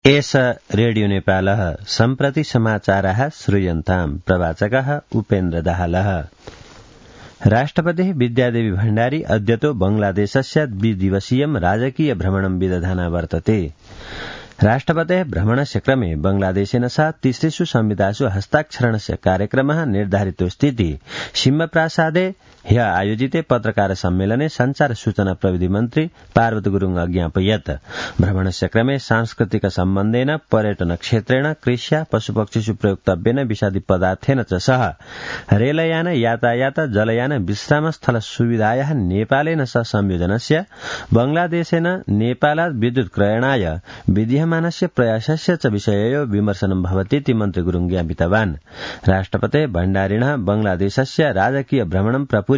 एष रेडियो नेपालः सम्प्रति समाचारः श्रूयन्ताम् प्रवाचकः उपेन्द्र दाहालः। राष्ट्रपतिः विद्यादेवी भण्डारी अद्यतो बांग्लादेशस्य द्विदिवसीयं राजकीय भ्रमणं विदधाना वर्तते। राष्ट्रपतेः भ्रमणस्य क्रमे बांग्लादेशेन सह तिसृषु संविधासु हस्ताक्षरणस्य कार्यक्रमः निर्धारितोऽस्तीति सिंहप्रासादे ह्य आयोजिते पत्रकार सम्मेलने संचार सूचना प्रविधि मन्त्री पार्वत गुरुङ अज्ञापयत्। भ्रमणस्य क्रमे सांस्कृतिक सम्बन्धेन पर्यटन क्षेत्रेण कृष्या पशुपक्षिषु प्रयुक्तव्येन विषादी पदार्थेन च सह रेलयान यातायात जलयान विश्रामस्थल सुविधायाः नेपालेन सह संयोजनस्य बांग्लादेशेन नेपालात् विद्युत् क्रयणाय विधीयमानस्य प्रयासस्य च विषययो विमर्शनं भवतीति मन्त्री गुरुङ ज्ञापितवान्। राष्ट्रपते भण्डारिणः बांग्लादेशस्य राजकीय भ्रमणं प्रपूर्य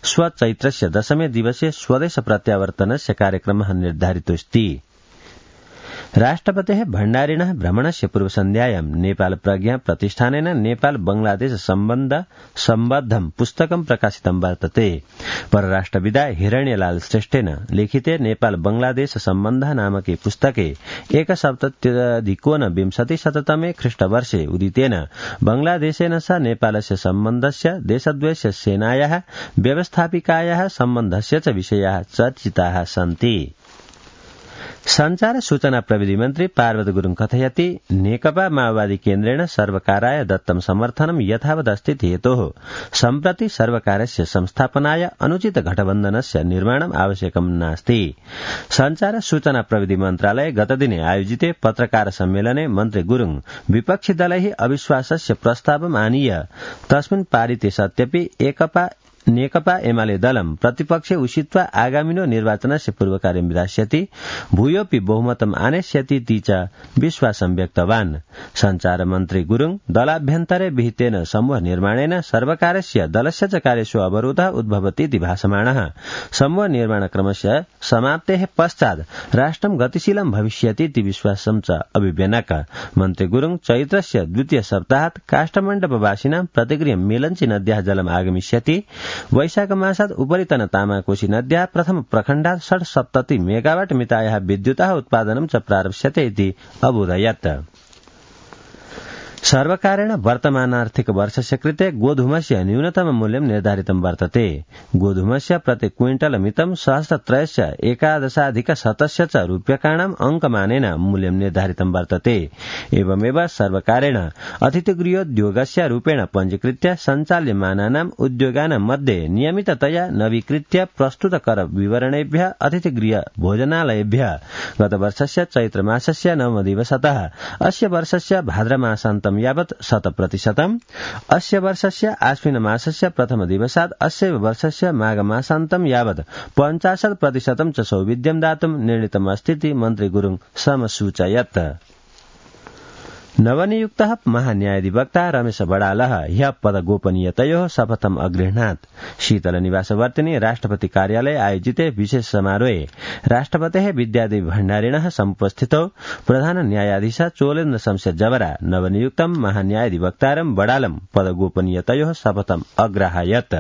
स्वचैत्रस्य दशमे दिवसे स्वदेश प्रत्यावर्तनस्य कार्यक्रमः निर्धारितोऽस्ति। राष्ट्रपतेः भण्डारिणः भ्रमणस्य पूर्वसन्ध्यायां नेपाल प्रज्ञा प्रतिष्ठानेन नेपाल बांग्लादेश सम्बद्धं पुस्तकं प्रकाशितं वर्तते। परराष्ट्रविदा हिरण्यलाल श्रेष्ठेन लिखिते नेपाल बांग्लादेश सम्बन्धः नामके पुस्तके 1970 ख्रीष्टवर्षे उदितेन बांग्लादेशेन सह नेपालस्य सम्बन्धस्य देशद्वयस्य सेनायाः व्यवस्थापिकायाः सम्बन्धस्य च विषयाः चर्चिताः सन्ति। संचार सूचना प्रविधि मन्त्री पार्वत गुरुङ कथयति नेकपा माओवादी केन्द्रेण सर्वकाराय दत्तं समर्थनं यथावदस्ति हेतोः सम्प्रति सर्वकारस्य संस्थापनाय अनुचित गठबन्धनस्य निर्माणम् आवश्यकं नास्ति। संचार सूचना प्रविधि मन्त्रालये गतदिने आयोजिते पत्रकार सम्मेलने मन्त्री गुरुङ विपक्षी दलैः अविश्वासस्य प्रस्तावम् आनीय तस्मिन् पारिते सत्यपि नेकपा एमाले दलं प्रतिपक्षे उषित्वा आगामिनो निर्वाचनस्य पूर्वकार्यं विधास्यति भूयोऽपि बहुमतम् आनेष्यति च विश्वासं व्यक्तवान्। संचार मन्त्री गुरुङ दलाभ्यन्तरे विहितेन समूह निर्माणेन सर्वकारस्य दलस्य च कार्येषु अवरोधः उद्भवतीति भासमाणः समूह निर्माणक्रमस्य समाप्तेः पश्चात् राष्ट्रं गतिशीलं भविष्यतीति विश्वासं च अभिव्यनक। मन्त्री गुरुङ चैत्रस्य द्वितीय सप्ताहात् काष्ठमण्डपवासिनां प्रतिगृहं मेलञ्ची नद्याः जलम् आगमिष्यति। वैशाख मासात् उपरितन तामाकोशी नद्याः प्रथम प्रखण्डात् 670 मेगावाट मितायाः विद्युतः उत्पादनं च प्रारप्स्यते इति अबोधयत्। सर्वकारेण वर्तमानार्थिक वर्षस्य कृते गोधूमस्य न्यूनतम मूल्यं निर्धारितं वर्तते। गोधूमस्य प्रति क्विंटल मितं 11,011,700 च रूप्यकाणाम् अंकमानेन मूल्यं निर्धारितं वर्तते। एवमेव सर्वकारेण अतिथिगृहोद्योगस्य रूपेण पञ्जीकृत्य सञ्चाल्यमानानाम् उद्योगानां मध्ये नियमिततया नवीकृत्य प्रस्तुत कर विवरणेभ्यः अतिथिगृह भोजनालयेभ्यः गतवर्षस्य चैत्रमासस्य 9 दिवसतः अस्य वर्षस्य भाद्रमासान्तं यावत् 100%, अस्य वर्षस्य आश्विन मासस्य प्रथम दिवसात् अस्य वर्षस्य माघ मासान्तं यावत् 50% च सौविध्यं दातुं निर्णीतमस्तीति मन्त्री गुरुङ समसूचयत्। नवनियुक्तः महान्यायाधिवक्ता रमेश बडालः ह्यः पदगोपनीयतयोः शपथम् अगृह्णात्। शीतलनिवासवर्तिनि राष्ट्रपति कार्यालये आयोजिते विशेष समारोहे राष्ट्रपतेः विद्यादेवी भण्डारिणः समुपस्थितौ प्रधान न्यायाधीश चोलेन्द्र शमशेर जवरा नवनियुक्तं महान्यायाधिवक्तारं बडालं पदगोपनीयतयोः शपथम् अग्राहयत्।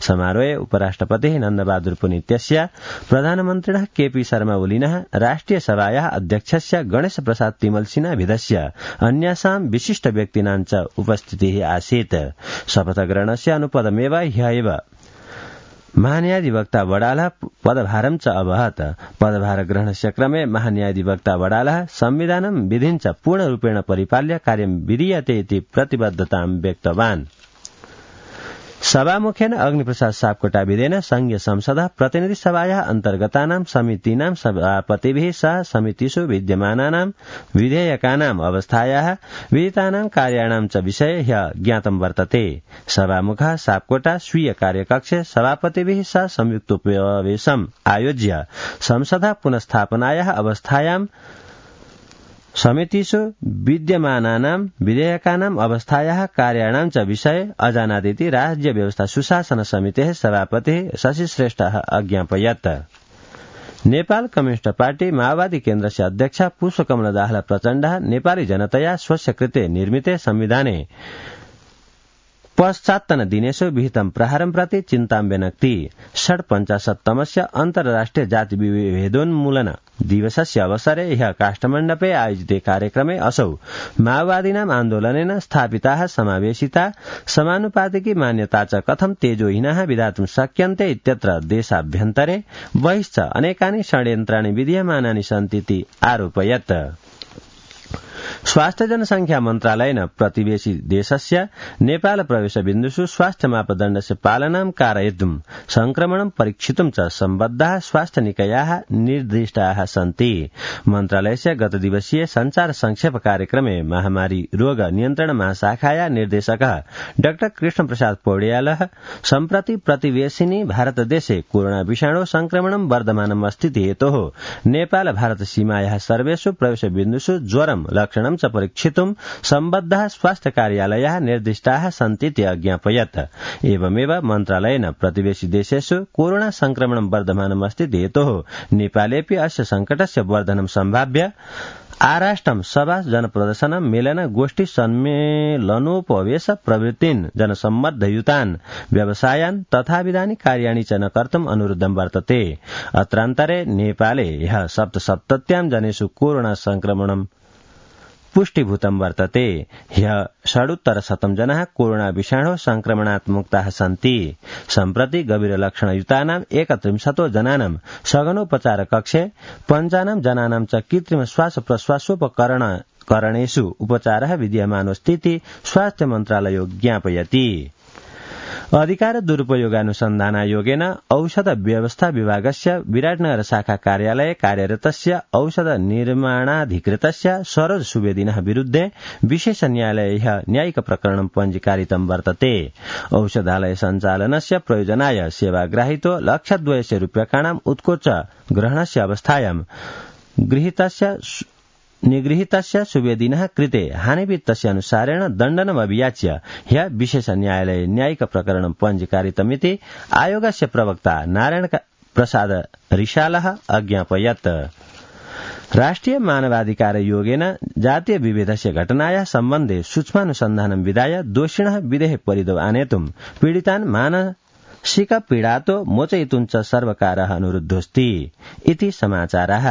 समारोहे उपराष्ट्रपतिः नन्दबहादुर पुनित्यस्य प्रधानमन्त्रिणः केपी शर्मा ओलीनः राष्ट्रिय सभायाः अध्यक्षस्य गणेश प्रसाद तिमल सिन्हाभिधस्य अन्यासां विशिष्ट व्यक्तीनां च उपस्थितिः आसीत्। शपथग्रहणस्य अनुपदमेव ह्यः महान्यायाधिवक्ता वडालः पदभारं च अवहत्। पदभार ग्रहणस्य क्रमे महान्यायाधिवक्ता वडालः संविधानं विधिं च पूर्णरूपेण परिपाल्य कार्यं विधीयते इति प्रतिबद्धतां व्यक्तवान्। सभामुखेन अग्निप्रसाद सापकोटाविदेन संघीय संसदः प्रतिनिधि सभायाः अन्तर्गतानां समितीनां सभापतिभिः सह समितिषु विद्यमानानां विधेयकानाम् अवस्थायाः विहितानां कार्याणां च विषये ह्यः ज्ञातं वर्तते। सभामुखः सापकोटा स्वीय कार्यकक्षे सभापतिभिः सह संयुक्तोपवेशम् आयोज्य संसदः पुनस्थापनायाः अवस्थायां समितिषु विद्यमानानां विधेयकानाम् अवस्थायाः कार्याणां च विषये अजानादिति राज्य व्यवस्था सुशासन समितेः सभापतिः शशि श्रेष्ठः अज्ञापयत्। नेपाल कम्युनिस्ट पार्टी माओवादी केन्द्रस्य अध्यक्ष पुष्पकमल दाहाल प्रचण्डः नेपाली जनतया स्वस्य कृते निर्मिते संविधाने पश्चात्तन दिनेषु विहितं प्रहारं प्रति चिन्तां व्यनक्ति। 56तमस्य अन्तर्राष्ट्रिय जाति विभेदोन्मूलन दिवसस्य अवसरे ह्यः काष्ठमण्डपे आयोजिते कार्यक्रमे असौ माओवादीनाम् आन्दोलनेन स्थापिताः समावेशिता समानुपातिकी मान्यता च कथं तेजोहीनाः विधातुं शक्यन्ते इत्यत्र देशाभ्यन्तरे बहिश्च अनेकानि षड्यन्त्राणि विधीयमानानि सन्तीति आरोपयत्। स्वास्थ्य जनसंख्या मन्त्रालयेन प्रतिवेशी देशस्य नेपाल प्रवेशबिन्दुषु स्वास्थ्य मापदण्डस्य पालनां कारयितुं संक्रमणं परीक्षितुं च सम्बद्धाः स्वास्थ्य निकायाः निर्दिष्टाः सन्ति। मन्त्रालयस्य गतदिवसीय संचार संक्षेप कार्यक्रमे महामारी रोग नियन्त्रण महाशाखाया निर्देशकः डॉ कृष्णप्रसाद पौड्यालः सम्प्रति प्रतिवेशिनी भारतदेशे कोरोना विषाणु संक्रमणं वर्धमानम् अस्तीति हेतोः नेपाल भारत सीमायाः सर्वेषु प्रवेशबिन्दुषु ज्वरं लक्षणं च परीक्षितुं सम्बद्धाः स्वास्थ्य कार्यालयाः निर्दिष्टाः सन्तीति अज्ञापयत्। एवमेव मन्त्रालयेन प्रतिवेशी देशेषु कोरोना संक्रमणं वर्धमानम् अस्तीति हेतोः नेपालेऽपि अस्य संकटस्य वर्धनं सम्भाव्य आराष्ट्रं सभा जनप्रदर्शन मेलन गोष्ठी सम्मेलनोपवेश प्रवृत्तिन् जनसम्मर्दयुतान् व्यवसायान् तथाविधानि कार्याणि च न कर्तुम् अनुरुद्धं वर्तते। अत्रान्तरे नेपाले ह्यः 77 जनेषु कोरोना संक्रमणं पुष्टिभूतं वर्तते। ह्यः 68 जनाः कोरोना विषाणु संक्रमणात् मुक्ताः सन्ति। सम्प्रति गभीरलक्षणयुतानां 31 जनानां सघनोपचार कक्षे 5 जनानां च कृत्रिम श्वास प्रश्वासोपकरणेषु उपचारः विद्यमानोऽस्तीति स्वास्थ्य मन्त्रालयो ज्ञापयति। अधिकार दुरुपयोगानुसन्धानायोगेन औषध व्यवस्था विभागस्य विराटनगर शाखा कार्यालये कार्यरतस्य औषध निर्माणाधिकृतस्य सरोज सुवेदिनः विरुद्धे विशेष न्यायालये न्यायिक प्रकरणं पञ्जीकारितं वर्तते। औषधालय सञ्चालनस्य प्रयोजनाय सेवाग्राहितो 1,200,000 रूप्यकाणाम् उत्कोच ग्रहणस्य अवस्थायां निगृहीतस्य सुवेदिनः कृते हानिवित्तस्य अनुसारेण दण्डनमभियाच्य ह्यः विशेष न्यायालये न्यायिक प्रकरणं पञ्जीकारितमिति आयोगस्य प्रवक्ता नारायण प्रसाद रिशालः अज्ञापयत्। राष्ट्रिय मानवाधिकार योगेन जातीय विभेदस्य घटनायाः सम्बन्धे सूक्ष्मानुसन्धानं विधाय दोषिणः विदेहे परितो आनेतुं पीडितान् मानसिक पीडातो मोचयितुं च सर्वकारः अनुरुद्धोऽस्ति इति समाचारः।